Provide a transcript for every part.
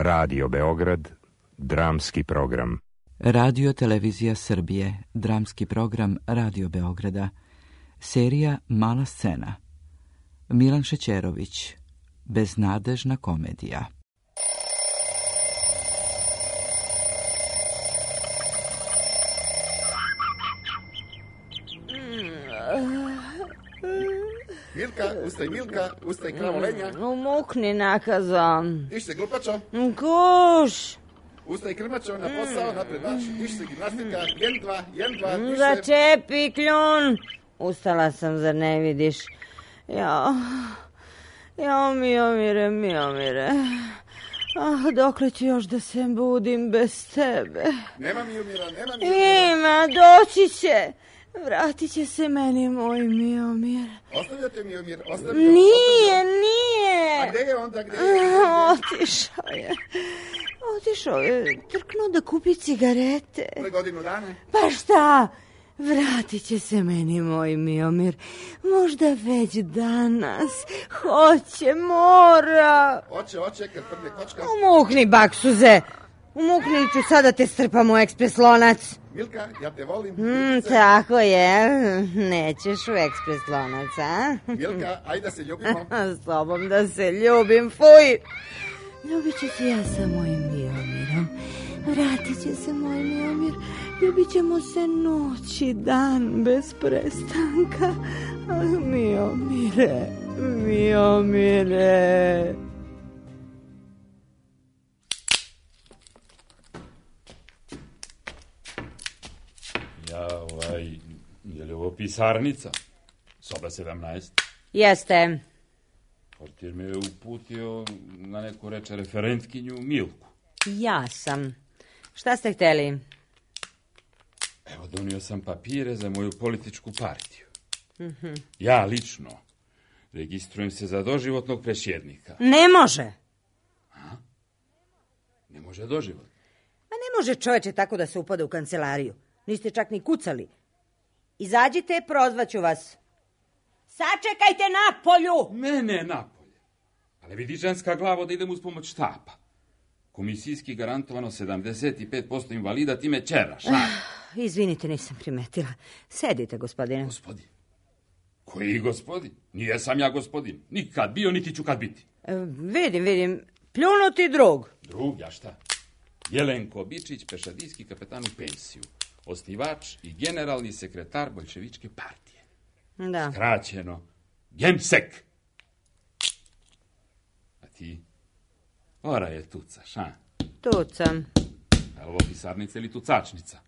Radio Beograd, dramski program. Radio Televizija Srbije, dramski program Radio Beograda. Serija Mala scena. Milan Šećerović, beznadežna komedija. Milka, ustaj kravolenja. Umukni nakazo. Iš se glupačo. Kuš. Ustaj krmačo, na posao, napred marš. Iš se gimnastika, jen dva, više. Začepi kljun. Ustala sam, zar ne vidiš? Jao, Miomire. Dokle ću još da se budim bez tebe? Nema Miomira. Ima, doći će. Vratit će se meni moj Miomir. Ostavljate Miomir, Nije. A gde je onda, Otišao je, trknuo da kupi cigarete. Pre godinu dana? Pa šta? Vratit će se meni moj Miomir. Možda već danas. Hoće, mora. Oće, kad prde kočka. Umukni, baksuze. Umukni, ću sada te strpam u ekspres lonac. Milka, ja te volim. Tako je. Nećeš u ekspres lonac, a? Milka, ajde da se ljubimo. S tobom da se ljubim, fuj. Ljubit ću se ja sa mojim Miomirom. Vratit će se moj Miomir. Ljubit ćemo se noć i dan bez prestanka. Miomire. Je li ovo pisarnica? Soba 17? Jeste. Portir me je uputio na neku reče referentkinju Milku. Ja sam. Šta ste hteli? Evo, donio sam papire za moju političku partiju. Ja lično registrujem se za doživotnog presjednika. Ne može. Ne može doživot? Ma ne može čoveče tako da se upada u kancelariju. Niste čak ni kucali. Izađite, prozvaću vas. Sačekajte napolju! Ne napolje. Ali vidi ženska glavo da idem uz pomoć štapa. Komisijski garantovano 75% invalida, ti me čeraš, a? Izvinite, nisam primetila. Sedite, gospodine. Gospodin? Koji gospodin? Nije sam ja gospodin. Nikad bio, niti ću kad biti. Vidim. Pljunuti drug. Drug, ja šta? Jelenko Bičić, pešadijski kapetan u pensiju. Osnivač i generalni sekretar Boljševičke partije. Da. Skraćeno, Gemsek. A ti? Ora je tucaš, a? Tucam. Je li ovo pisarnica ili tucačnica?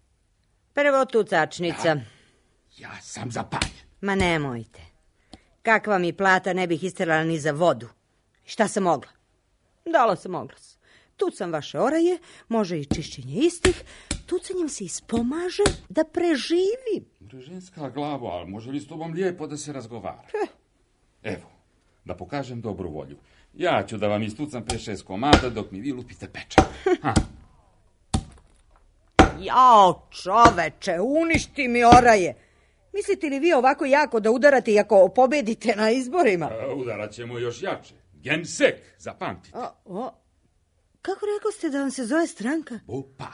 Prvo tucačnica. Ja sam zapaljen. Ma nemojte. Kakva mi plata ne bih isterala ni za vodu. Šta sam mogla? Dala sam oglas. Tucam vaše oraje, može i čišćenje istih. Tucanjem se ispomaže da preživi. Ženska glavo, ali može li s tobom lijepo da se razgovara? Evo, da pokažem dobru volju. Ja ću da vam istucam 5-6 komada dok mi vi lupite peča. Jao, čoveče, uništi mi oraje. Mislite li vi ovako jako da udarate i ako pobedite na izborima? Udarat ćemo još jače. Gemsek, zapamtite. Kako rekao ste da vam se zove stranka? Opa,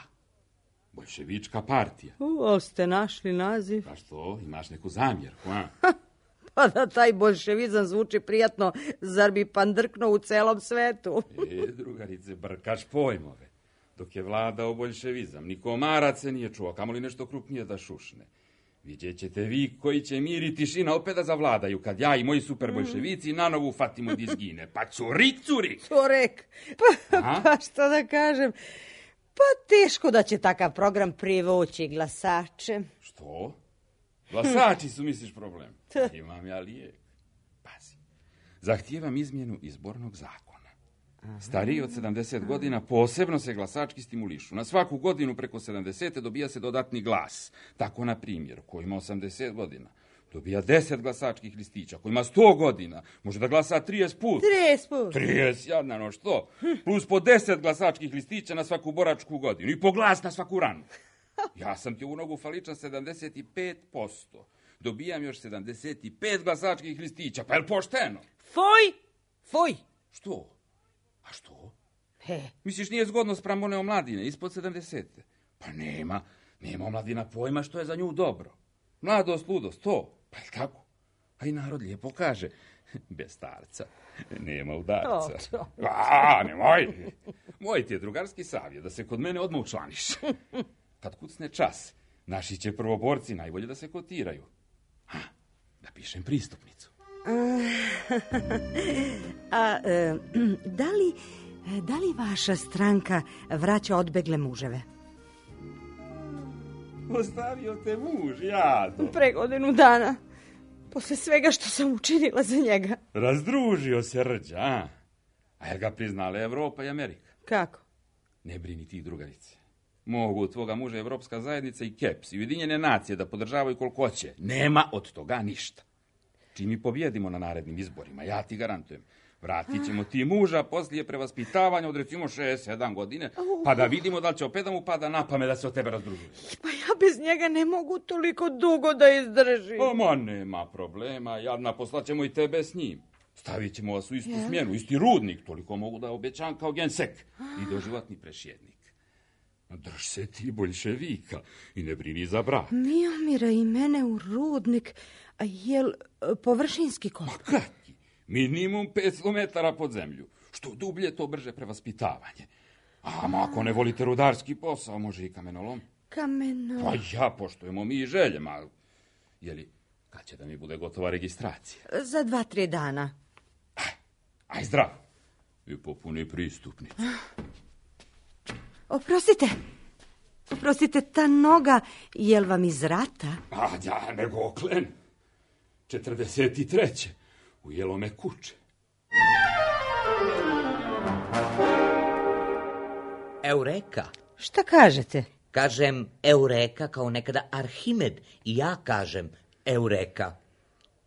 Boljševička partija. Ali ste našli naziv. Pa što, imaš neku zamjerku, a? Pa da taj boljševizam zvuči prijatno, zar bi pandrknuo u celom svetu? Drugarice, brkaš pojmove. Dok je vladao boljševizam, ni komarac se nije čuo, kamoli nešto krupnije da šušne. Vidjet ćete vi koji će mir i tišina opet da zavladaju, kad ja i moji super boljševici nanovo ufatimo da izgine. Pa curik! Curek! Pa što da kažem? Pa teško da će takav program privući glasače. Što? Glasači su, misliš, problem? Imam ja lijek. Pazi. Zahtijevam izmjenu izbornog zakona. Stariji od 70 godina posebno se glasački stimulišu. Na svaku godinu preko 70. dobija se dodatni glas. Tako, na primjer, ko ima 80 godina dobija 10 glasačkih listića. Ko ima 100 godina može da glasa 30 put. 30 put? 30, jadnano, što? Plus po 10 glasačkih listića na svaku boračku godinu. I po glas na svaku ranu. Ja sam ti u nogu faličan 75%. Dobijam još 75 glasačkih listića. Pa je li pošteno? Fuj! Što? A što? Misliš, nije zgodno spram one omladine, ispod 70. Pa nema omladina pojma što je za nju dobro. Mladost, ludost, to. Pa je tako? A i narod lijepo kaže, bez starca nema udarca. Nemoj. Moj ti je drugarski savjet da se kod mene odmah učlaniš. Kad kucne čas, naši će prvoborci najbolje da se kotiraju. Da pišem pristupnicu. Da li vaša stranka vraća odbegle muževe? Ostavio te muž, jado. Pre godinu dana. Posle svega što sam učinila za njega. Razdružio se Rđa, a? A jer ga priznala Evropa i Amerika. Kako? Ne brini ti, drugarice. Mogu tvoga muža Evropska zajednica i KEPS i Ujedinjene nacije da podržavaju koliko hoće. Nema od toga ništa. Čim mi pobjedimo na narednim izborima, ja ti garantujem, vratit ćemo ti muža poslije prevaspitavanja od recimo 6-7 godine, pa da vidimo da li će opet da mu pada na pamet da se od tebe razdružuje. Pa ja bez njega ne mogu toliko dugo da izdržim. Ma nema problema, jadna, poslaćemo i tebe s njim. Stavit ćemo vas u istu smjenu, isti rudnik, toliko mogu da obećam kao gensek i doživotni prešjednik. Drž se ti boljševika i ne brini za brak. Miomira i mene u rudnik, a jel površinski koliko? Ma kaki, minimum 500 metara pod zemlju. Što dublje, to brže prevaspitavanje. A ako ne volite rudarski posao, može i kamenolom. Kamenolom? Pa ja, poštujemo mi i željema. Jeli, kad će da mi bude gotova registracija? Za 2-3 dana. Aj zdrav. I popuni pristupnicu. Oprostite, ta noga, jel vam iz rata? A ja nego oklen. 43. Ujelo me kuće. Eureka. Šta kažete? Kažem Eureka kao nekada Arhimed i ja kažem Eureka.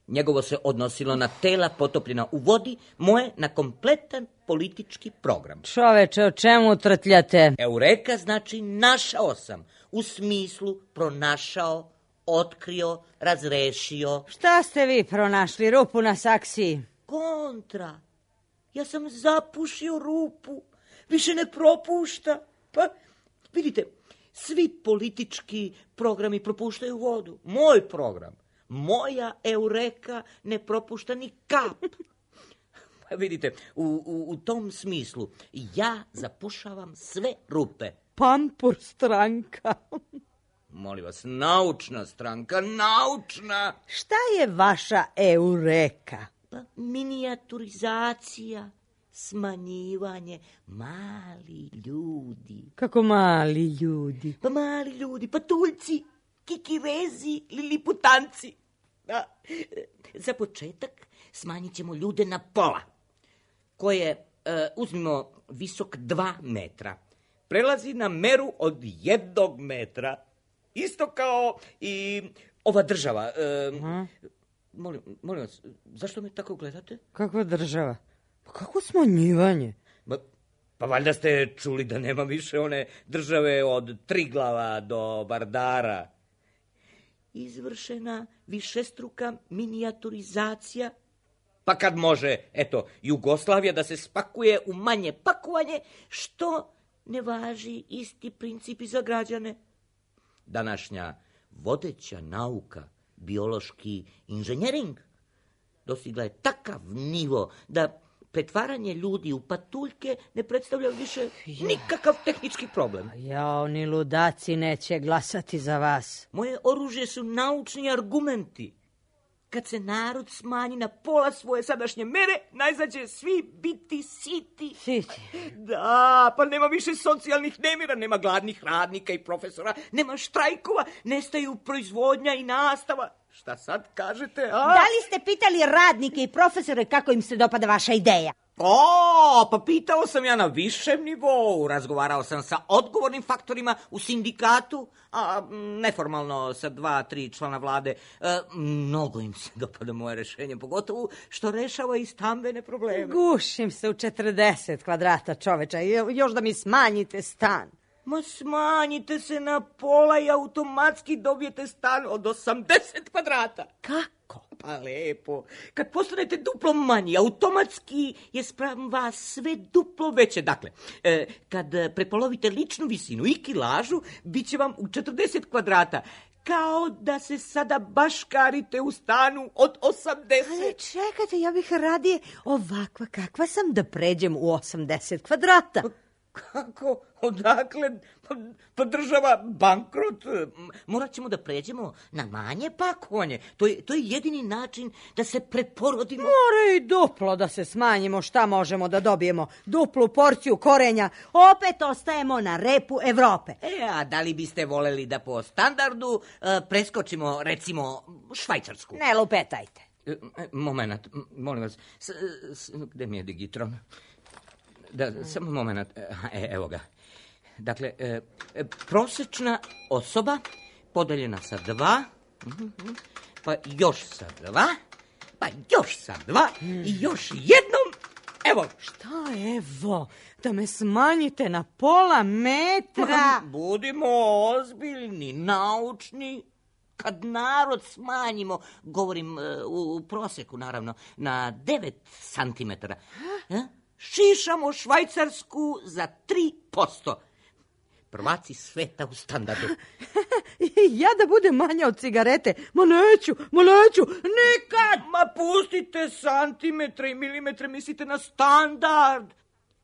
Njegovo se odnosilo na tela potopljena u vodi, moje na kompletan politički program. Čoveče, o čemu trtljate? Eureka znači našao sam, u smislu pronašao, otkrio, razrešio. Šta ste vi pronašli, rupu na saksiji? Kontra. Ja sam zapušio rupu, više ne propušta. Pa, vidite, svi politički programi propuštaju vodu. Moj program, moja Eureka ne propušta ni kap. Pa vidite, u tom smislu ja zapušavam sve rupe. Pampur stranka. Molim vas, naučna stranka, naučna. Šta je vaša Eureka? Pa minijaturizacija, smanjivanje, mali ljudi. Kako mali ljudi? Pa mali ljudi, patuljci, kikirezi, liliputanci. Da. Za početak smanjit ćemo ljude na pola, koje, uzmimo, visok 2 metra. Prelazi na meru od 1 metra. Isto kao i ova država. Molim vas, zašto me tako gledate? Kakva država? Pa kako smanjivanje? Pa valjda ste čuli da nema više one države od Triglava do Vardara. Izvršena višestruka minijaturizacija. Pa kad može, eto, Jugoslavija da se spakuje u manje pakovanje, što ne važi isti principi za građane? Današnja vodeća nauka, biološki inženjering, dostigla je takav nivo da pretvaranje ljudi u patuljke ne predstavlja više nikakav tehnički problem. Oni ludaci neće glasati za vas. Moje oružje su naučni argumenti. Kad se narod smanji na pola svoje sadašnje mere, najzad će svi biti siti. Siti? Da, pa nema više socijalnih nemira, nema gladnih radnika i profesora, nema štrajkova, nestaju proizvodnja i nastava. Šta sad kažete, a? Da li ste pitali radnike i profesore kako im se dopada vaša ideja? Pa pitao sam ja na višem nivou, razgovarao sam sa odgovornim faktorima u sindikatu, a neformalno sa 2-3 člana vlade. Mnogo im se dopada moje rešenje, pogotovo što rešava i stambene probleme. Gušim se u 40 kvadrata, čoveča, još da mi smanjite stan. Ma smanjite se na pola i automatski dobijete stan od 80 kvadrata. Kako? Pa lepo. Kad postanete duplo manji, automatski je spram vas sve duplo veće. Dakle, kad prepolovite ličnu visinu i kilažu, bit će vam u 40 kvadrata. Kao da se sada baškarite u stanu od 80. Ali čekajte, ja bih radije ovakva kakva sam da pređem u 80 kvadrata. Kako? Odakle? Pa država bankrot. Morat ćemo da pređemo na manje pakovanje. To je jedini način da se preporodimo. Mora i duplo da se smanjimo. Šta možemo da dobijemo? Duplu porciju korenja. Opet ostajemo na repu Evrope. A da li biste voleli da po standardu preskočimo, recimo, Švajcarsku? Ne lupetajte. Moment, molim vas. Gde mi je digitron? Da, samo moment. Evo ga. Dakle, prosječna osoba podeljena sa 2, pa još sa 2, pa još sa 2 i još jednom. Evo. Šta evo? Da me smanjite na pola metra? Budimo ozbiljni, naučni. Kad narod smanjimo, govorim u prosjeku naravno, na 9 santimetara, šišamo Švajcarsku za 3%. Prvaci sveta u standardu. Ja da budem manja od cigarete? Ma neću, nikad! Ma pustite santimetre i milimetre, mislite na standard.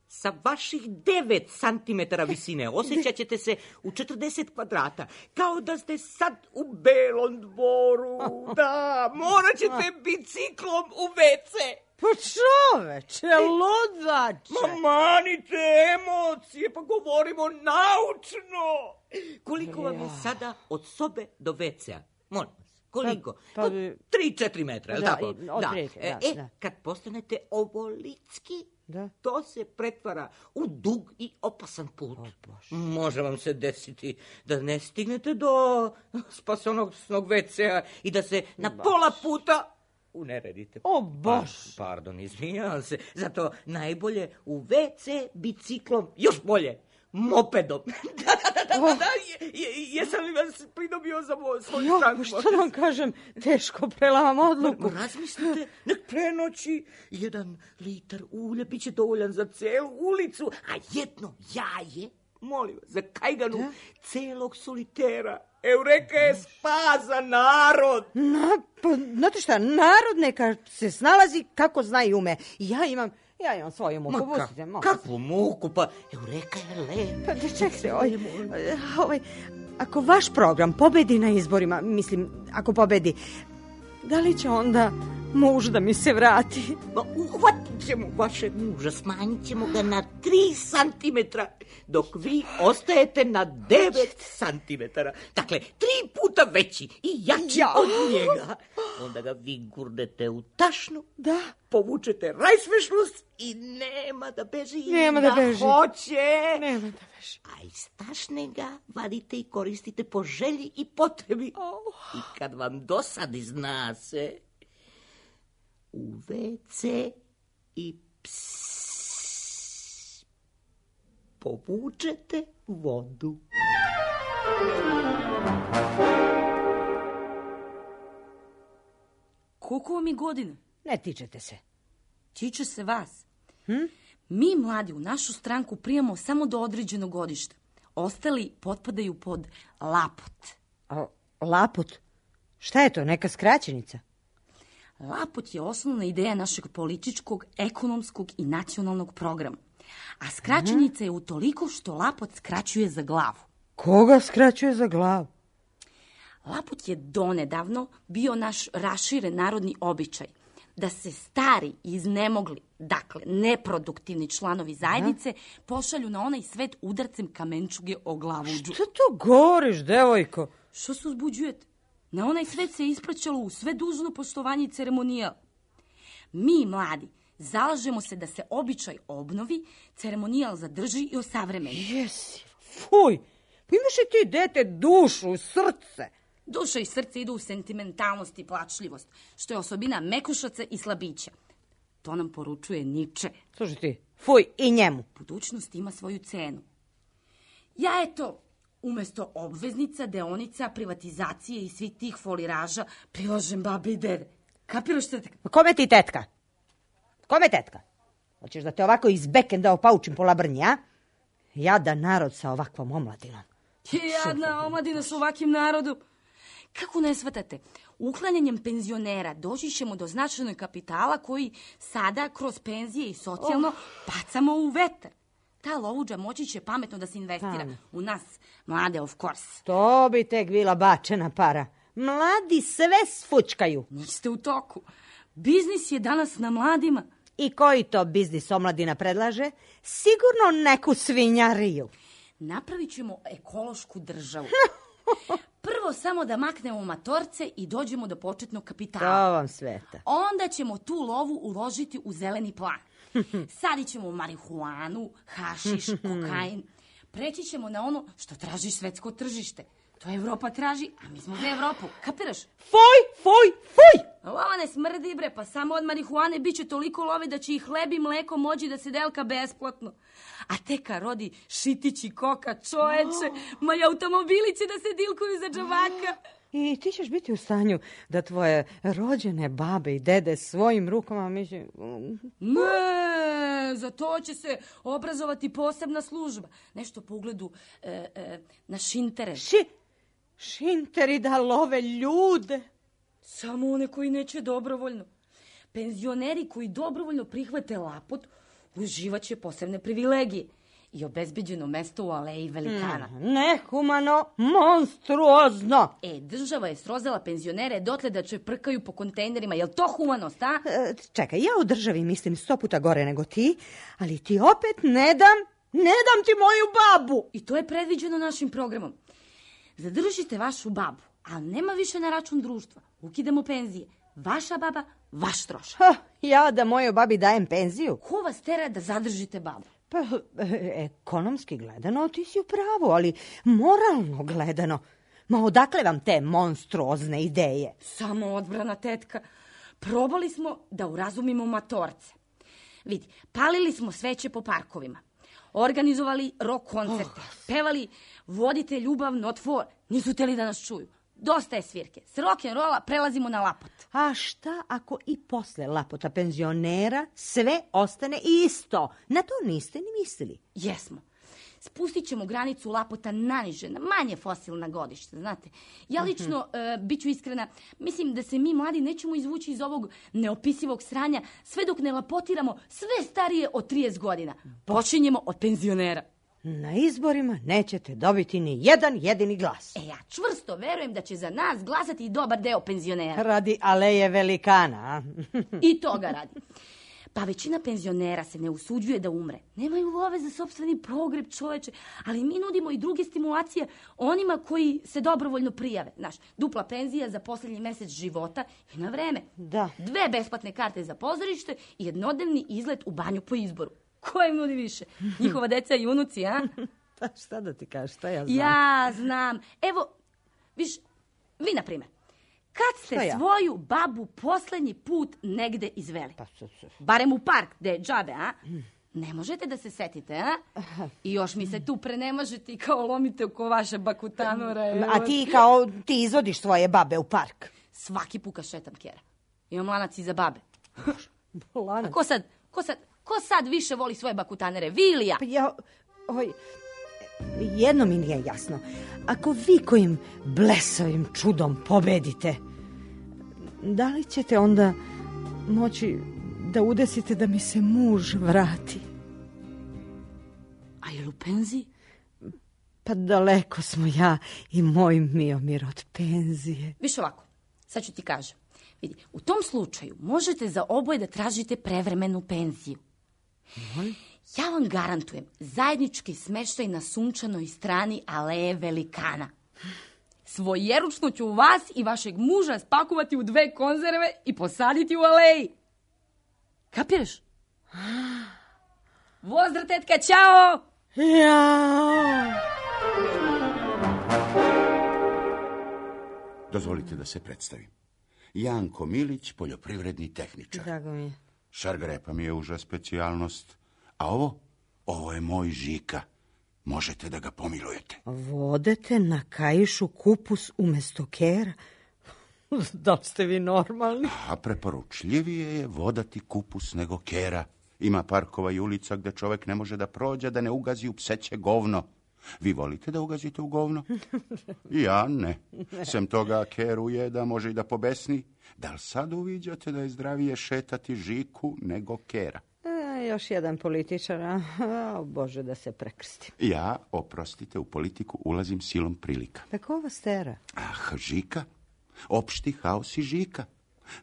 Sa vaših 9 santimetara visine osjećat ćete se u 40 kvadrata, kao da ste sad u Belom Dvoru. Da, morat ćete biciklom u WC. Pa čoveče, ludače. Ma manite emocije, pa govorimo naučno. Koliko vam je sada od sobe do WC-a? Molim vas, koliko? 3-4 metra, je li tako? Da. Kad postanete ovolitski, to se pretvara u dug i opasan put. Može vam se desiti da ne stignete do spasonosnog WC-a i da se na pola puta uneredite. O, bož! Pardon, izvinjavam se. Zato najbolje u WC biciklom, još bolje, mopedom. Da, jesam li vas pridobio za svoju stranku? Što da vam kažem, teško prelavam odluku. Razmislite, nek prenoći 1 litar ulja, bit će dovoljan za celu ulicu, a jedno jaje, molim vas, za kajganu celog solitera. Eureka je spas za narod. Pa, znate šta, narod neka se snalazi kako zna i ume. Ja imam svoju muku. Kakvu muku? Pa Eureka je lepa. Pa čekajte, ako vaš program pobedi na izborima, mislim, ako pobedi, da li će onda muž da mi se vrati? Ma uhvatit ćemo vašeg muža, smanjit ćemo ga na 3 santimetra, dok vi ostajete na 9 santimetara. Dakle, 3 puta veći i jači od njega. Onda ga vi gurnete u tašnu, povučete rajsvešlus i nema da beži. Hoće. Nema da beži. A iz tašne ga vadite i koristite po želji i potrebi. I kad vam dosadi, zna se, u WC i povučete vodu. Koliko vam je godina? Ne tičete se. Tiče se vas. Mi mladi u našu stranku prijemo samo do određenog godišta. Ostali potpadaju pod lapot. Lapot? Šta je to, neka skraćenica? Lapot je osnovna ideja našeg političkog, ekonomskog i nacionalnog programa. A skraćenica je utoliko što lapot skraćuje za glavu. Koga skraćuje za glavu? Lapot je donedavno bio naš raširen narodni običaj da se stari, iznemogli, dakle neproduktivni članovi zajednice pošalju na onaj svet udarcem kamenčuge o glavuđu. Šta to govoriš, devojko? Što se uzbuđujete? Na onaj svet se ispraćalo u sve dužno poštovanje i ceremonijal. Mi, mladi, zalažemo se da se običaj obnovi, ceremonijal zadrži i osavremeni. Jesi, fuj, pa imaš i ti, dete, dušu, srce. Duša i srce idu u sentimentalnost i plačljivost, što je osobina mekušaca i slabića. To nam poručuje Niče. Slušaj ti, fuj, i njemu. Budućnost ima svoju cenu. Ja, eto, umjesto obveznica, deonica, privatizacije i svih tih foliraža prilažem babi i dede. Kapiraš tetka? Kome ti tetka? Kome tetka? Hoćeš da te ovako iz bekenda opaučim po labrnji, a? Jadan narod sa ovakvom omladinom. Jadna omladina s ovakim narodom. Kako ne shvatate? Uklanjanjem penzionera doći ćemo do značajnog kapitala koji sada kroz penzije i socijalno bacamo u vetar. Ta lovuđa moći će pametno da se investira. U nas, mlade, of course. To bi tek bila bačena para. Mladi sve sfučkaju. Niste u toku. Biznis je danas na mladima. I koji to biznis omladina predlaže? Sigurno neku svinjariju. Napravit ćemo ekološku državu. Prvo samo da maknemo matorce i dođemo do početnog kapitala. To vam sveta. Onda ćemo tu lovu uložiti u zeleni plan. Sadit ćemo marihuanu, hašiš, kokain. Preći ćemo na ono što traži svetsko tržište. To Evropa traži, a mi smo za Evropu. Kapiraš? Fuj! Lova ne smrdi, bre, pa samo od marihuane bit će toliko love da će i hleb i mleko moći da se delka besplatno. A teka rodi šitić i koka, čoveče, ma i automobili će da se dilkuju za džabaka. I ti ćeš biti u stanju da tvoje rođene babe i dede svojim rukama Ne, za to će se obrazovati posebna služba. Nešto po ugledu na šintere. Šinteri da love ljude. Samo one koji neće dobrovoljno. Penzioneri koji dobrovoljno prihvate lapot uživaće posebne privilegije i obezbeđeno mesto u aleji velikana. Nehumano, monstruozno. Država je srozala penzionere dotle da će prkaju po kontejnerima. Jel to humanost, a? Čekaj, ja o državi mislim 100 puta gore nego ti, ali ti opet ne dam ti moju babu. I to je predviđeno našim programom. Zadržite vašu babu, ali nema više na račun društva. Ukidamo penzije. Vaša baba, vaš trošak. Ja da mojoj babi dajem penziju? Ko vas tera da zadržite babu? Pa, ekonomski gledano ti si u pravu, ali moralno gledano. Ma odakle vam te monstruozne ideje? Samo odbrana, tetka. Probali smo da urazumimo matorce. Vidi, palili smo sveće po parkovima. Organizovali rock koncerte. Pevali Vodite ljubav not for. Nisu teli da nas čuju. Dosta je svirke. S rock'n'rolla prelazimo na lapot. A šta ako i posle lapota penzionera sve ostane isto? Na to niste ni mislili. Jesmo. Spustit ćemo granicu lapota naniže, na manje fosilna godišta, znate. Ja lično, bit ću iskrena, mislim da se mi mladi nećemo izvući iz ovog neopisivog sranja sve dok ne lapotiramo sve starije od 30 godina. Počinjemo od penzionera. Na izborima nećete dobiti ni jedan jedini glas. Ja čvrsto verujem da će za nas glasati i dobar deo penzionera. Radi aleje velikana. I toga radi. Pa većina penzionera se ne usuđuje da umre. Nemaju love za sopstveni pogreb, čoveče, ali mi nudimo i druge stimulacije onima koji se dobrovoljno prijave. Znaš, dupla penzija za posljednji mesec života i na vreme. Da. 2 besplatne karte za pozorište i jednodnevni izlet u banju po izboru. Ko im nudi više? Njihova deca i unuci, a? Pa šta da ti kažeš, šta ja znam? Ja znam. Evo, viš, vi na primjer. Kad ste svoju babu posljednji put negde izveli? Barem u park, gde je džabe, a? Ne možete da se setite, a? I još mi se tu prenemažete i kao lomite oko vaše bakutanora. A ti izvodiš svoje babe u park? Svaki puka šetam, Kjera. Imam lanac iza babe. Lanac? A ko sad više voli svoje bakutanere, vi ili ja? Jedno mi nije jasno. Ako vi kojim blesavim čudom pobedite, da li ćete onda moći da udesite da mi se muž vrati? A je u penziji? Pa daleko smo ja i moj Miomir od penzije. Viš ovako, sad ću ti kažem. Vidi, u tom slučaju možete za oboje da tražite prevremenu penziju. Ja vam garantujem zajednički smeštaj na sunčanoj strani aleje velikana. Svojeručno ću vas i vašeg muža spakovati u 2 konzerve i posaditi u aleji. Kapiraš? Pozdrav, tetka, ćao! Jao! Dozvolite da se predstavim. Janko Milić, poljoprivredni tehničar. Drago mi je. Šargrepa mi je uža specijalnost. A ovo je moj Žika. Možete da ga pomilujete. Vodete na kaišu kupus umesto kera? Da li ste vi normalni? A preporučljivije je vodati kupus nego kera. Ima parkova i ulica gdje čovjek ne može da prođe, da ne ugazi u pseće govno. Vi volite da ugazite u govno? Ja ne. Sem toga keru je da može i da pobesni. Da li sad uviđate da je zdravije šetati žiku nego kera? Još jedan političar, Bože da se prekrstim. Ja, oprostite, u politiku ulazim silom prilika. Pa ko vas tera? Žika. Opšti haos i žika.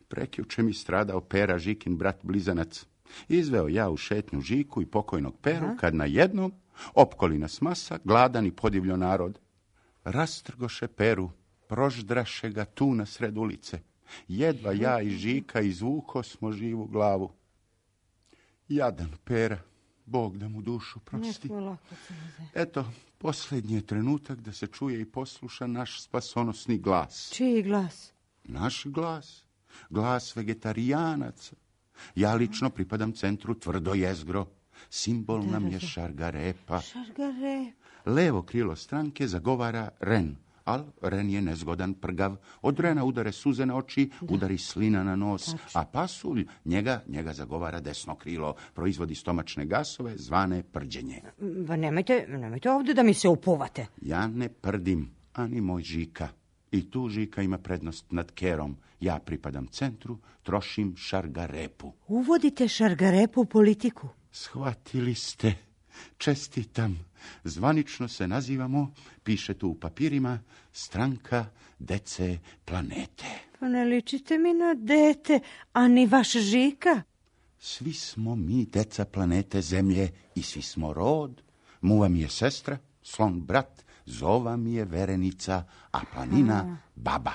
Prekjuče mi stradao Pera, Žikin brat blizanac. Izveo ja u šetnju Žiku i pokojnog Peru, kad na jednom opkoli nas masa, gladan i podivljo narod. Rastrgoše Peru, proždraše ga tu na sred ulice. Jedva ja i Žika izvuko smo živu glavu. Jadan Pera, Bog da mu dušu prosti. Eto, posljednji je trenutak da se čuje i posluša naš spasonosni glas. Čiji glas? Naš glas. Glas vegetarijanaca. Ja lično pripadam centru Tvrdo jezgro. Simbol nam je šargarepa. Šargarep. Levo krilo stranke zagovara Ren, al Ren je nezgodan, prgav. Od Rena udare suze na oči, udari slina na nos, a pasulj njega zagovara desno krilo. Proizvodi stomačne gasove zvane prđenje. Nemojte ovdje da mi se upuvate. Ja ne prdim, ani moj Žika. I tu Žika ima prednost nad kerom. Ja pripadam centru, trošim šargarepu. Uvodite šargarepu u politiku? Shvatili ste. Čestitam. Zvanično se nazivamo, piše tu u papirima, Stranka dece planete. Pa ne ličite mi na dete, a ni vaš Žika. Svi smo mi deca planete Zemlje i svi smo rod. Muva mi je sestra, slon brat, zova mi je verenica, a planina baba.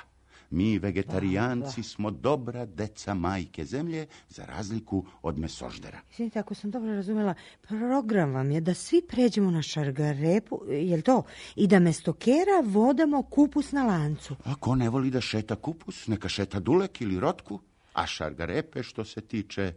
Mi vegetarijanci smo dobra deca majke Zemlje, za razliku od mesoždera. Izvinite, ako sam dobro razumjela, program vam je da svi pređemo na šargarepu, jel to? I da mesto kera vodamo kupus na lancu. Ako ne voli da šeta kupus, neka šeta dulek ili rotku. A šargarepe, što se tiče,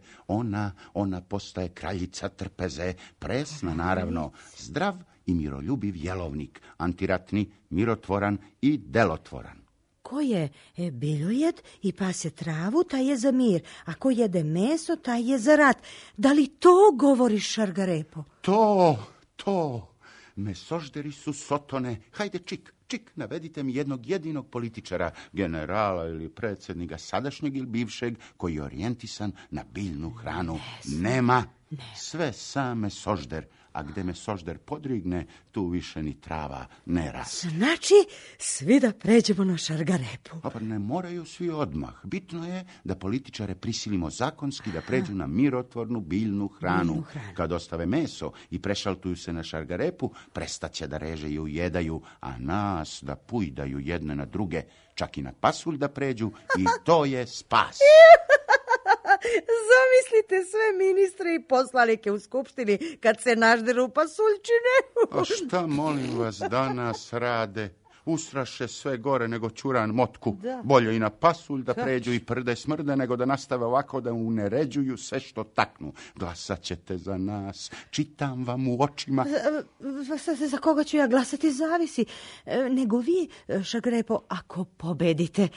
ona postaje kraljica trpeze, presna naravno, zdrav i miroljubiv jelovnik, antiratni, mirotvoran i delotvoran. Ko je biljojed i pase travu, taj je za mir, a ko jede meso, taj je za rat. Da li to govori šargarepo? To. Mesožderi su sotone. Hajde, čik, navedite mi jednog jedinog političara, generala ili predsjednika, sadašnjeg ili bivšeg, koji je orijentisan na biljnu hranu. Nema. Sve sam mesožder. A gde mesožder podrigne, tu više ni trava ne raste. Znači, svi da pređemo na šargarepu. Pa ne moraju svi odmah. Bitno je da političare prisilimo zakonski da pređu na mirotvornu biljnu hranu. Kad ostave meso i prešaltuju se na šargarepu, prestaće da reže i ujedaju, a nas da pujdaju jedne na druge, čak i na pasulj da pređu, i to je spas. Zamislite sve ministre i poslanike u skupštini kad se nažderu pasuljčine. A šta, molim vas, danas rade? Ustraše sve gore nego ćuran motku. Bolje i na pasulj da pređu i prde smrde nego da nastave ovako da uneređuju sve što taknu. Glasat ćete za nas. Čitam vam u očima. Za koga ću ja glasati zavisi. Nego vi, šargarepo, ako pobedite,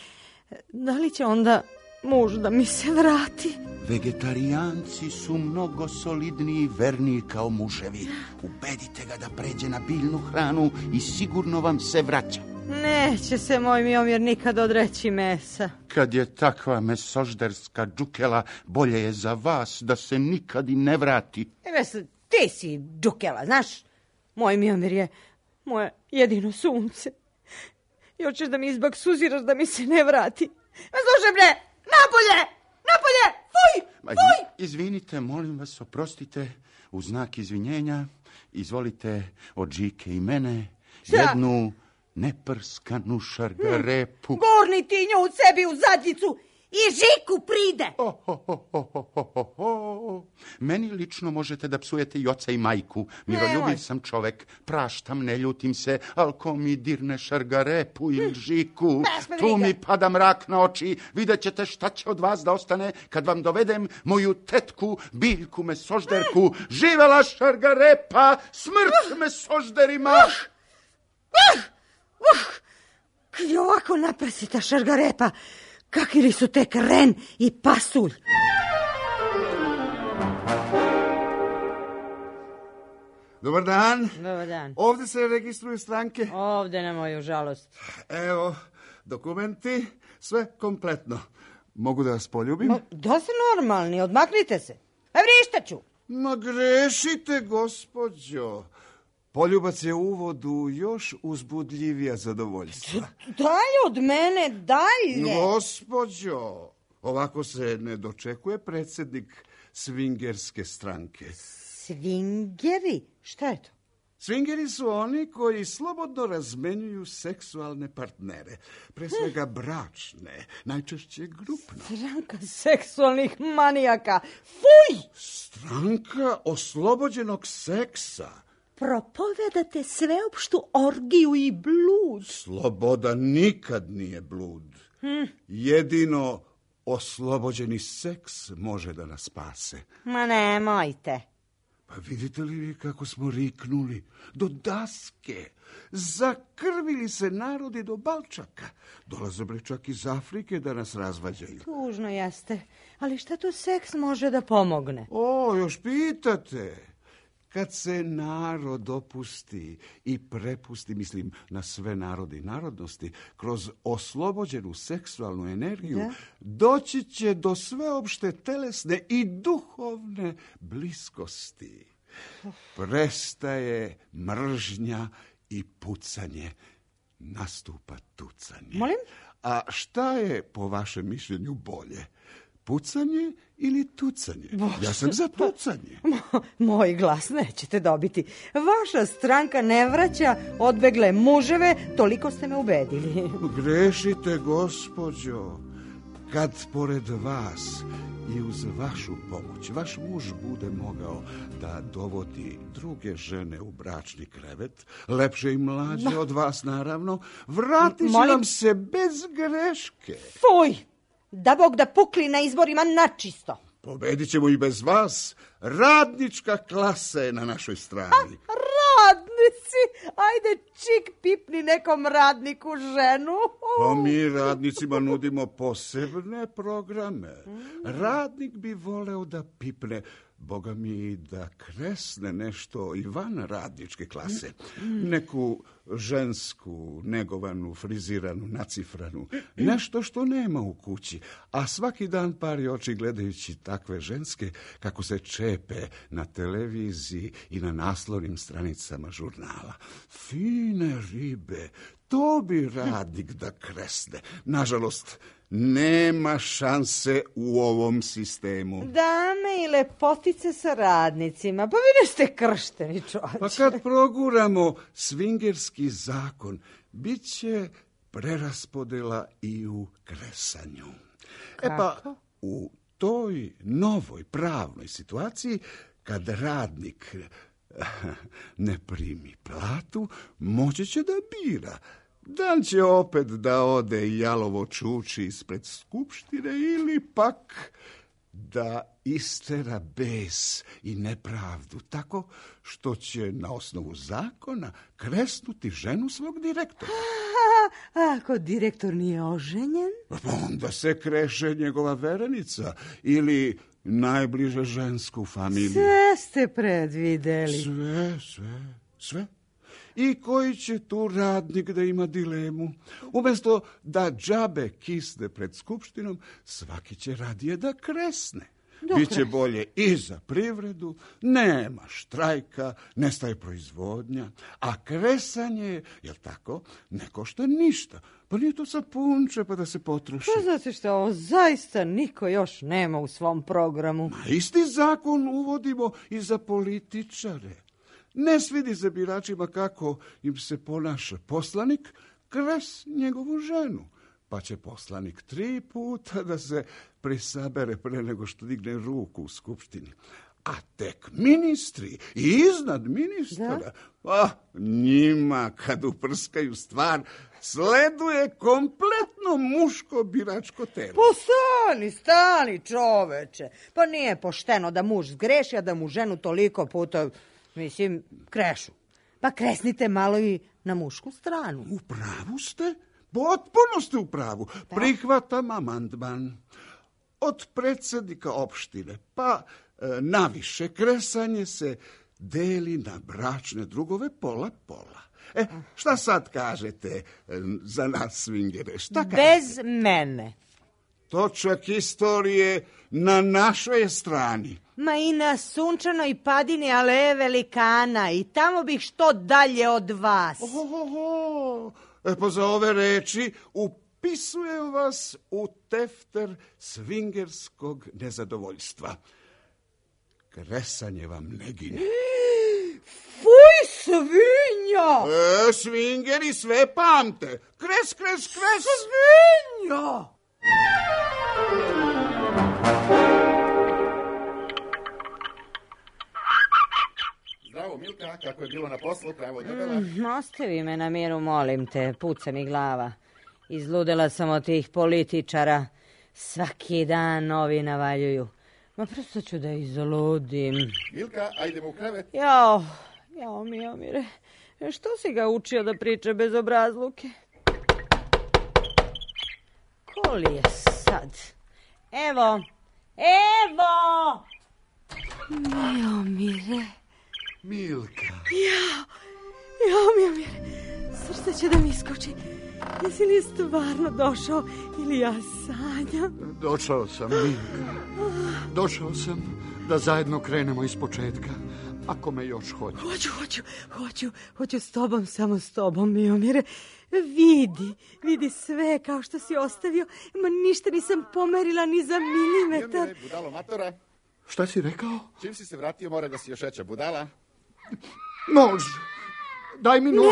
da li će onda muž da mi se vrati? Vegetarijanci su mnogo solidniji i verniji kao muževi. Ubedite ga da pređe na biljnu hranu i sigurno vam se vraća. Neće se moj Miomir nikad odreći mesa. Kad je takva mesožderska džukela, bolje je za vas da se nikad i ne vrati. Ti si džukela, znaš? Moj Miomir je moje jedino sunce. I hoćeš da mi izbaksuziraš da mi se ne vrati. Slušaj bre, napolje! Fuj! Izvinite, molim vas, oprostite, u znak izvinjenja, izvolite od Žike i mene jednu neprskanu šargarepu. Gurni ti nju u sebi u zadnjicu i Žiku pride! Meni lično možete da psujete i oca i majku. Miroljubiv sam čovek, praštam, ne ljutim se, ali ko mi dirne šargarepu ili Žiku, tu mi pada mrak na oči. Vidjet ćete šta će od vas da ostane kad vam dovedem moju tetku, biljku mesožderku. Živela šargarepa, smrt mesožderima! Kljova Kako naprsita šargarepa, kakvi li su tek ren i pasulj. Dobar dan. Dobar dan. Ovdje se registruju stranke. Ovdje na moju žalost. Evo, dokumenti, sve kompletno. Mogu da vas poljubim? Da ste normalni, odmaknite se. Vrištaću. Ma grešite, gospođo. Poljubac je u uvodu još uzbudljivija zadovoljstva. Dalje od mene, dalje. Gospođo, ovako se ne dočekuje predsjednik svingerske stranke. Svingeri? Šta je to? Svingeri su oni koji slobodno razmenjuju seksualne partnere. Pre svega bračne, najčešće grupno. Stranka seksualnih manijaka. Fuj! Stranka oslobođenog seksa. Propovedate sveopštu orgiju i blud. Sloboda nikad nije blud. Jedino oslobođeni seks može da nas spase. Ma nemojte. Pa vidite li kako smo riknuli? Do daske. Zakrvili se narodi do balčaka. Dolaze bre čak iz Afrike da nas razvađaju. Tužno jeste. Ali šta tu seks može da pomogne? O, još pitate. Kad se narod opusti i prepusti, mislim na sve narode i narodnosti, kroz oslobođenu seksualnu energiju, doći će do sveopšte telesne i duhovne bliskosti. Prestaje mržnja i pucanje, nastupa tucanje. Molim? A šta je po vašem mišljenju bolje? Pucanje ili tucanje? Ja sam za tucanje. Moj glas nećete dobiti. Vaša stranka ne vraća odbegle muževe, toliko ste me ubedili. Grešite, gospođo. Kad pored vas i uz vašu pomoć vaš muž bude mogao da dovodi druge žene u bračni krevet, lepše i mlađe od vas naravno, vratit će vam se bez greške. Fuj! Da Bog da pukli na izborima načisto. Pobedit ćemo i bez vas. Radnička klasa je na našoj strani. Radnici! Ajde, čik pipni nekom radniku ženu. Pa mi radnicima nudimo posebne programe. Radnik bi voleo da pipne, boga mi da kresne nešto i van radničke klase. Neku žensku, negovanu, friziranu, nacifranu. Nešto što nema u kući. A svaki dan pari oči gledajući takve ženske kako se čepe na televiziji i na naslovnim stranicama žurnala. Fine ribe, to bi radnik da kresne. Nažalost, nema šanse u ovom sistemu. Dame i lepotice sa radnicima, pa vi neste kršteni čovječe. Pa kad proguramo svingerski zakon, bit će preraspodela i u kresanju. Pa u toj novoj pravnoj situaciji, kad radnik ne primi platu, moći će da bira. Dan će opet da ode jalovo čuči ispred skupštine ili pak da istera bes i nepravdu tako što će na osnovu zakona kresnuti ženu svog direktora. Ako direktor nije oženjen? Onda se kreše njegova verenica ili najbliže žensku familiju. Sve ste predvideli. Sve. I koji će tu radnik da ima dilemu? Umjesto da džabe kisne pred skupštinom, svaki će radije da kresne. Biće bolje i za privredu, nema štrajka, nestaje proizvodnja, a kresanje, jel tako, ne košta ništa. Pa nije to sapunče pa da se potroši. Pa znate što, ovo zaista niko još nema u svom programu. Ma isti zakon uvodimo i za političare. Ne svidi se biračima kako im se ponaša poslanik, kres njegovu ženu. Pa će poslanik 3 puta da se prisabere pre nego što digne ruku u skupštini. A tek ministri i iznad ministra, njima kad uprskaju stvar, sleduje kompletno muško biračko telo. Pa stani čoveče. Pa nije pošteno da muž zgreši, a da mu ženu toliko puta, krešu. Pa kresnite malo i na mušku stranu. U pravu ste. Potpuno ste u pravu. Prihvatam amandman. Od predsjednika opštine pa naviše kresanje se deli na bračne drugove pola-pola. Šta sad kažete za nas swingere? Šta kažete? Bez mene. Točak istorije na našoj strani. Ma i na sunčanoj padini aleje velikana i tamo bih što dalje od vas. Pa za ove reči upisujem vas u tefter svingerskog nezadovoljstva. Kresanje vam ne gine. Fuj, svinja! Svingeri sve pamte. Kres, kres, kres. Svinja! Zdravo, Milka, kako je bilo na poslu, pravo debela? Ostavi me na miru, molim te, puca mi glava. Izludela sam od tih političara. Svaki dan novi navaljuju. Ma prosto ću da izludim. Milka, ajdemo u krevet. Jao, Miomire, što si ga učio da priča bez obrazluke? Ko li je sad? Evo! Miomire. Milka. Jao, Miomire, srce će da mi iskoči. Jesi li stvarno došao ili ja sanjam? Došao sam, Milka. Došao sam da zajedno krenemo iz početka. Ako me još hoćeš. Hoću s tobom, samo s tobom, Miomire. Vidi sve kao što si ostavio. Ma ništa nisam pomerila ni za milimetar. Miomire, budalo matora. Šta si rekao? Čim si se vratio, mora da si još veća budala. Nož! Daj mi nož.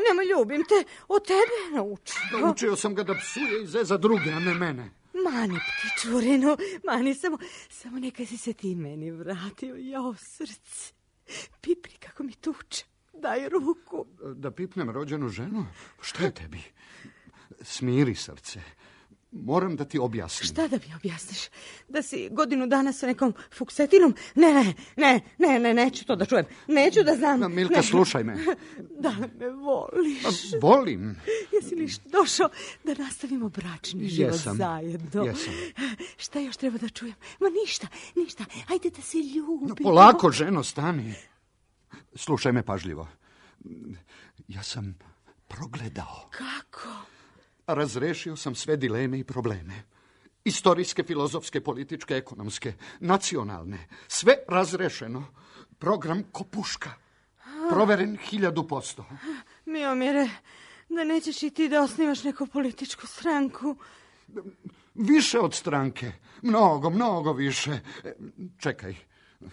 Nemoj, ljubim te. Od tebe naučio. Naučio sam ga da psuje i zeza druge, a ne mene. Mani, ptičurinu, mani, samo neka si se ti meni vratio. Jao, srce. Pipri kako mi tuče. Daj ruku. Da pipnem rođenu ženu? Šta je tebi? Smiri, srce. Moram da ti objasnim. Šta da mi objasniš? Da si godinu dana sa nekom fuksetinom? Ne, neću to da čujem. Neću da znam. Milka, slušaj me. Da me voliš. Volim. Jesi li došao da nastavimo bračni život zajedno? Jesam. Šta još treba da čujem? Ma ništa. Ajde da se ljubimo. Polako, ženo, stani. Slušaj me pažljivo. Ja sam progledao. Kako? Razrešio sam sve dileme i probleme. Istorijske, filozofske, političke, ekonomske, nacionalne. Sve razrešeno. Program ko puška. Proveren 1000%. Miomire, da nećeš i ti da osnivaš neku političku stranku? Više od stranke. Mnogo više. Čekaj,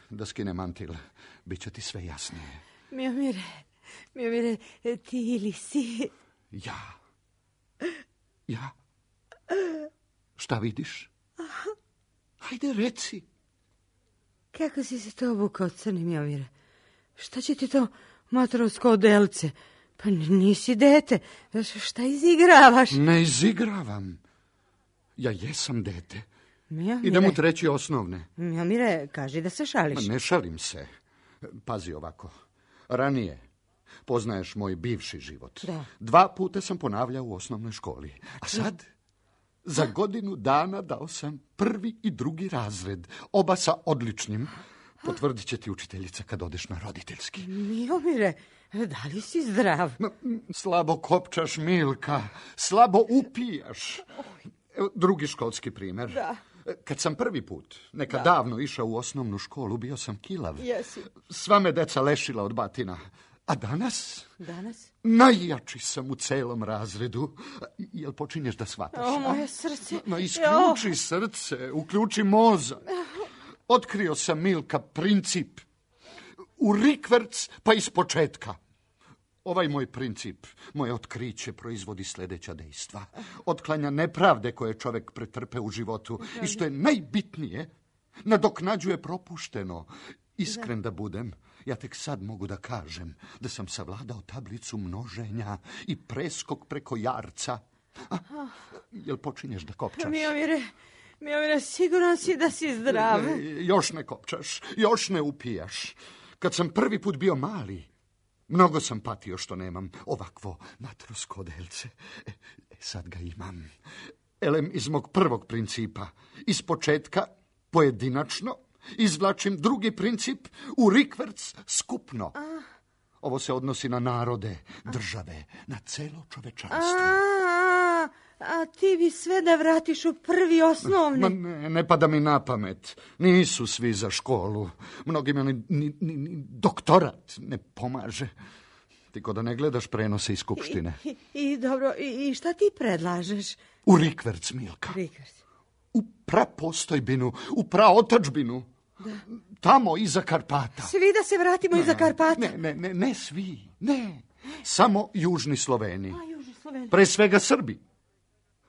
da skinem mantil. Biće ti sve jasnije. Miomire, ti ili si? Ja. Šta vidiš? Hajde, reci. Kako si se to obukao, crni Miomire? Šta će ti to matorovsko odelce? Pa nisi dete. Šta izigravaš? Ne izigravam. Ja jesam dete. Miomire. Idem u 3. osnovne. Miomire, kaži da se šališ. Ne šalim se. Pazi ovako. Ranije, poznaješ moj bivši život. Da. 2 puta sam ponavljao u osnovnoj školi. A sad, za godinu dana dao sam 1. i 2. razred. Oba sa odličnim. Potvrdit će ti učiteljica kad odeš na roditeljski. Miomire, da li si zdrav? Slabo kopčaš, Milka. Slabo upijaš. Evo, 2. školski primjer. Da. Kad sam 1. put, davno išao u osnovnu školu, bio sam kilav. Jesi. Sva me deca lešila od batina. A danas? Danas? Najjači sam u celom razredu. Jel počinješ da shvataš? O, moje srce. Ma isključi srce, uključi mozak. Otkrio sam, Milka, princip. U rikverc pa iz početka. Ovaj moj princip, moje otkriće proizvodi sljedeća dejstva. Otklanja nepravde koje čovjek pretrpe u životu i što je najbitnije, nadoknađuje propušteno. Iskren da budem, ja tek sad mogu da kažem da sam savladao tablicu množenja i preskok preko jarca. Jel počinješ da kopčaš? Miomire, siguran si da si zdrav. Još ne kopčaš, još ne upijaš. Kad sam 1. put bio mali, mnogo sam patio što nemam ovakvo matrosko odelce. sad ga imam. Elem iz mog prvog principa. Iz početka, pojedinačno, izvlačim drugi princip u rikverc skupno. Ovo se odnosi na narode, države, na celo čovečanstvo. A ti bi sve da vratiš u prvi osnovni. Ma ne pada mi na pamet. Nisu svi za školu. Mnogima ni doktorat ne pomaže. Ti ko da ne gledaš prenose iz skupštine. I dobro, i šta ti predlažeš? U rikverc, Milka. Rikverc. U prapostojbinu, u praotadžbinu. Da. Tamo iza Karpata. Svi da se vratimo iza Karpata? Ne svi. Ne. Samo južni Sloveni. Južni Sloveni. Pre svega Srbi.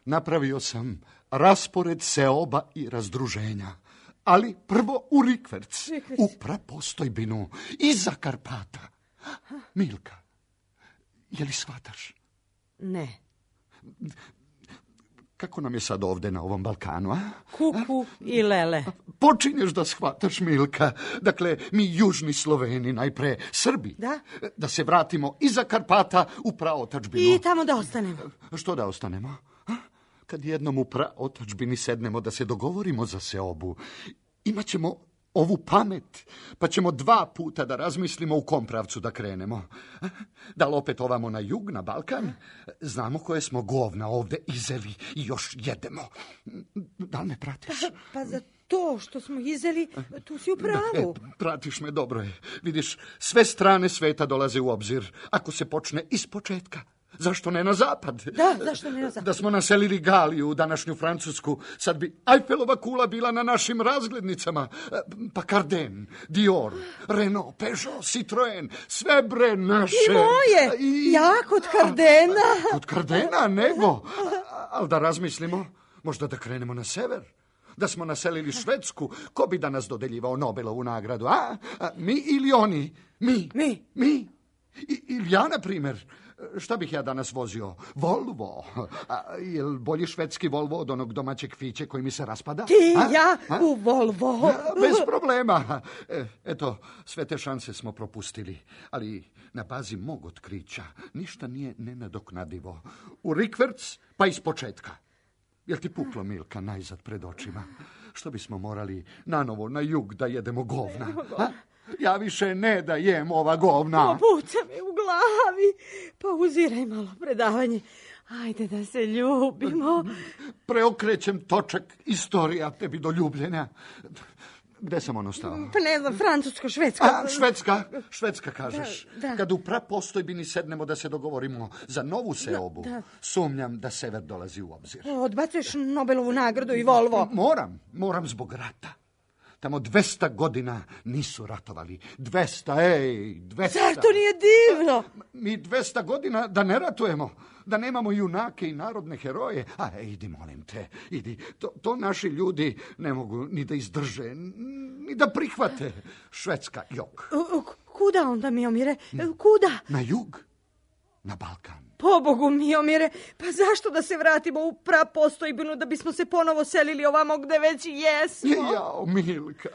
Napravio sam raspored seoba i razdruženja. Ali prvo u rikverc. U prapostojbinu iza Karpata. Milka, je li shvataš? Ne. Kako nam je sad ovde na ovom Balkanu, a? Kuku i lele. Počinješ da shvataš, Milka. Dakle, mi južni Sloveni, najpre Srbi. Da? Da se vratimo iza Karpata u praotadžbinu. I tamo da ostanemo. Što da ostanemo? Kad jednom u praotadžbini sednemo da se dogovorimo za seobu, imaćemo ovu pamet, pa ćemo 2 puta da razmislimo u kom pravcu da krenemo. Da li opet ovamo na jug, na Balkan? Znamo koje smo govna ovde izeli i još jedemo. Da li me pratiš? Pa za to što smo izeli, tu si u pravu. Pratiš me, dobro je. Vidiš, sve strane sveta dolaze u obzir. Ako se počne iz početka. Zašto ne na zapad? Da, zašto ne na zapad? Da smo naselili Galiju, današnju Francusku, sad bi Eiffelova kula bila na našim razglednicama. Pa Carden, Dior, Renault, Peugeot, Citroen, sve bre naše. I moje, ja kod Cardena. Kod Cardena, nego. Ali da razmislimo, možda da krenemo na sever. Da smo naselili Švedsku, ko bi danas dodeljivao Nobelovu nagradu, a? Mi ili oni? Mi. Ili ja, na primjer. Šta bih ja danas vozio? Volvo. Jel bolji švedski Volvo od onog domaćeg Fiće koji mi se raspada? U Volvo. Bez problema. Eto, sve te šanse smo propustili. Ali na bazi mog otkrića ništa nije nenadoknadivo. U rikverc, pa iz početka. Jel ti puklo, Milka, najzad pred očima? Što bismo morali nanovo na jug da jedemo govna? Ja više ne da jem ova govna. Obuca me u glavi. Pa uziraj malo predavanje. Ajde da se ljubimo. Preokrećem točak istorija tebi do ljubljenja. Gde sam ono stao? Pa ne znam, Francusko, Švedska. Švedska kažeš. Da. Kad u prapostojbini sednemo da se dogovorimo za novu seobu, sumnjam da sever dolazi u obzir. Odbacuješ Nobelovu nagradu i Volvo. Moram zbog rata. Tamo 200 godina nisu ratovali. 200. Zar to nije divno? Mi 200 godina da ne ratujemo, da nemamo junake i narodne heroje. Idi, molim te, idi. To naši ljudi ne mogu ni da izdrže, ni da prihvate. Švedska, jok. Kuda onda, Miomire? Kuda? Na jug, na Balkan. Pobogu, Miomire, pa zašto da se vratimo u prapostojbinu da bismo se ponovo selili ovamo gde već jesmo? Jao, Milka,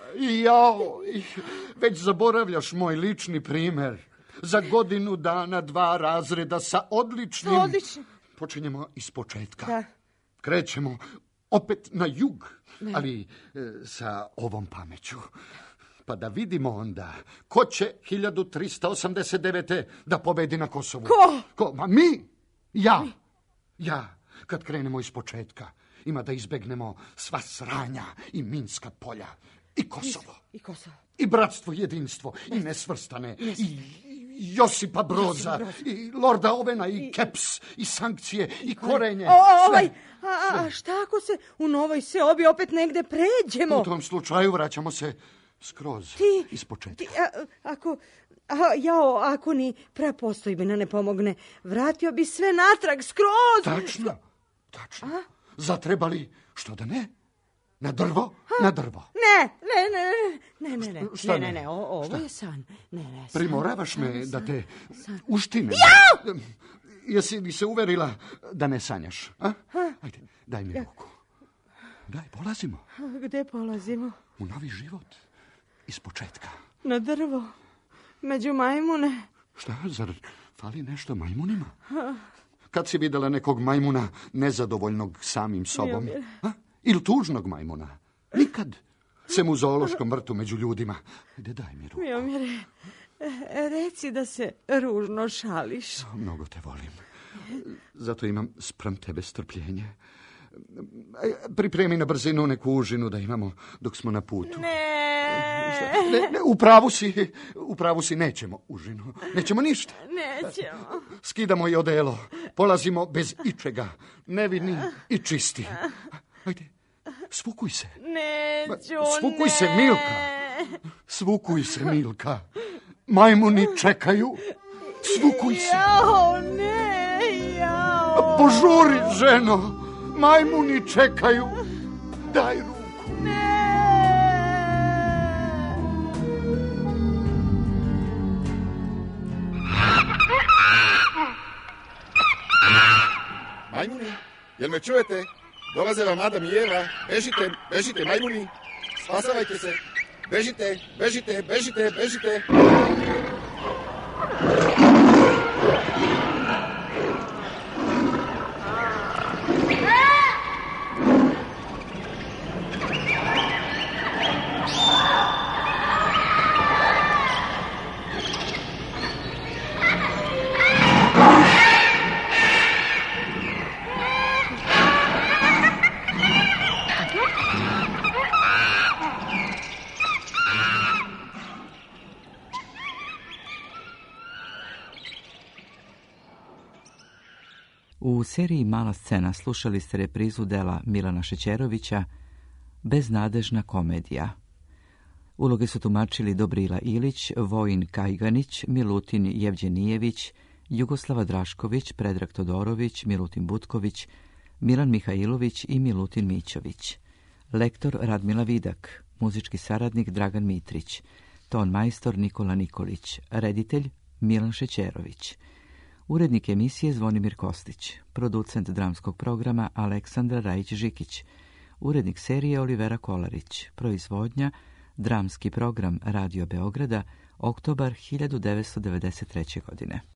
već zaboravljaš moj lični primer. Za godinu dana 2 razreda sa odličnim... Počinjemo iz početka. Da. Krećemo opet na jug, ali sa ovom pameću. Pa da vidimo onda ko će 1389. da pobedi na Kosovu. Ko? Ma mi! Ja, kad krenemo iz početka, ima da izbegnemo sva sranja i minska polja. I Kosovo. I bratstvo, jedinstvo. I nesvrstane. I Josipa Broza. I Lorda Ovena. I Keps. I sankcije. I korenje. A šta ako se u novoj seobi opet negde pređemo? U tom slučaju vraćamo se skroz iz početka. Ako ni prapostojbina ne pomogne, vratio bi sve natrag skroz. Tačno. Zatrebali, što da ne? Na drvo? Na drvo. Ne. Ovo je san. Ne. Primoravaš me da te uštinem. Jesi li se uverila da ne sanjaš? Ajde, daj mi ruku. Daj, polazimo. Gde polazimo? U novi život. Iz početka. Na drvo. Među majmune. Šta, zar fali nešto majmunima? Kad si vidjela nekog majmuna nezadovoljnog samim sobom? Ili tužnog majmuna? Nikad. Sem u zoološkom vrtu među ljudima. Ide, daj mi ruku. Miomire, reci da se ružno šališ. Mnogo te volim. Zato imam spram tebe strpljenje. Pripremi na brzinu neku užinu da imamo dok smo na putu. Ne, u pravu si, nećemo užinu. Nećemo ništa. Nećemo. Skidamo i odelo. Polazimo bez ičega. Nevini i čisti. Ajde, svukuj se. Neću, Svukuj se, Milka. Svukuj se, Milka. Majmuni čekaju. Svukuj se. Jao, ne, jao. Požuri, ženo. Majmuni čekaju. Daj ruku. Majmuni, jel me čujete? Dolaze vam Adam i Eva. Bežite, bežite, majmuni. Spasavajte se. Bežite, bežite, bežite, bežite. U seriji Mala scena slušali ste reprizu dela Milana Šećerovića Beznadežna komedija. Uloge su tumačili Dobrila Ilić, Vojin Kajganić, Milutin Jevđenijević, Jugoslava Drašković, Predrag Todorović, Milutin Butković, Milan Mihajlović i Milutin Mićović. Lektor Radmila Vidak, muzički saradnik Dragan Mitrić, ton majstor Nikola Nikolić, reditelj Milan Šećerović. Urednik emisije Zvonimir Kostić, producent dramskog programa Aleksandra Rajić-Žikić, urednik serije Olivera Kolarić, proizvodnja Dramski program Radio Beograda, oktobar 1993. godine.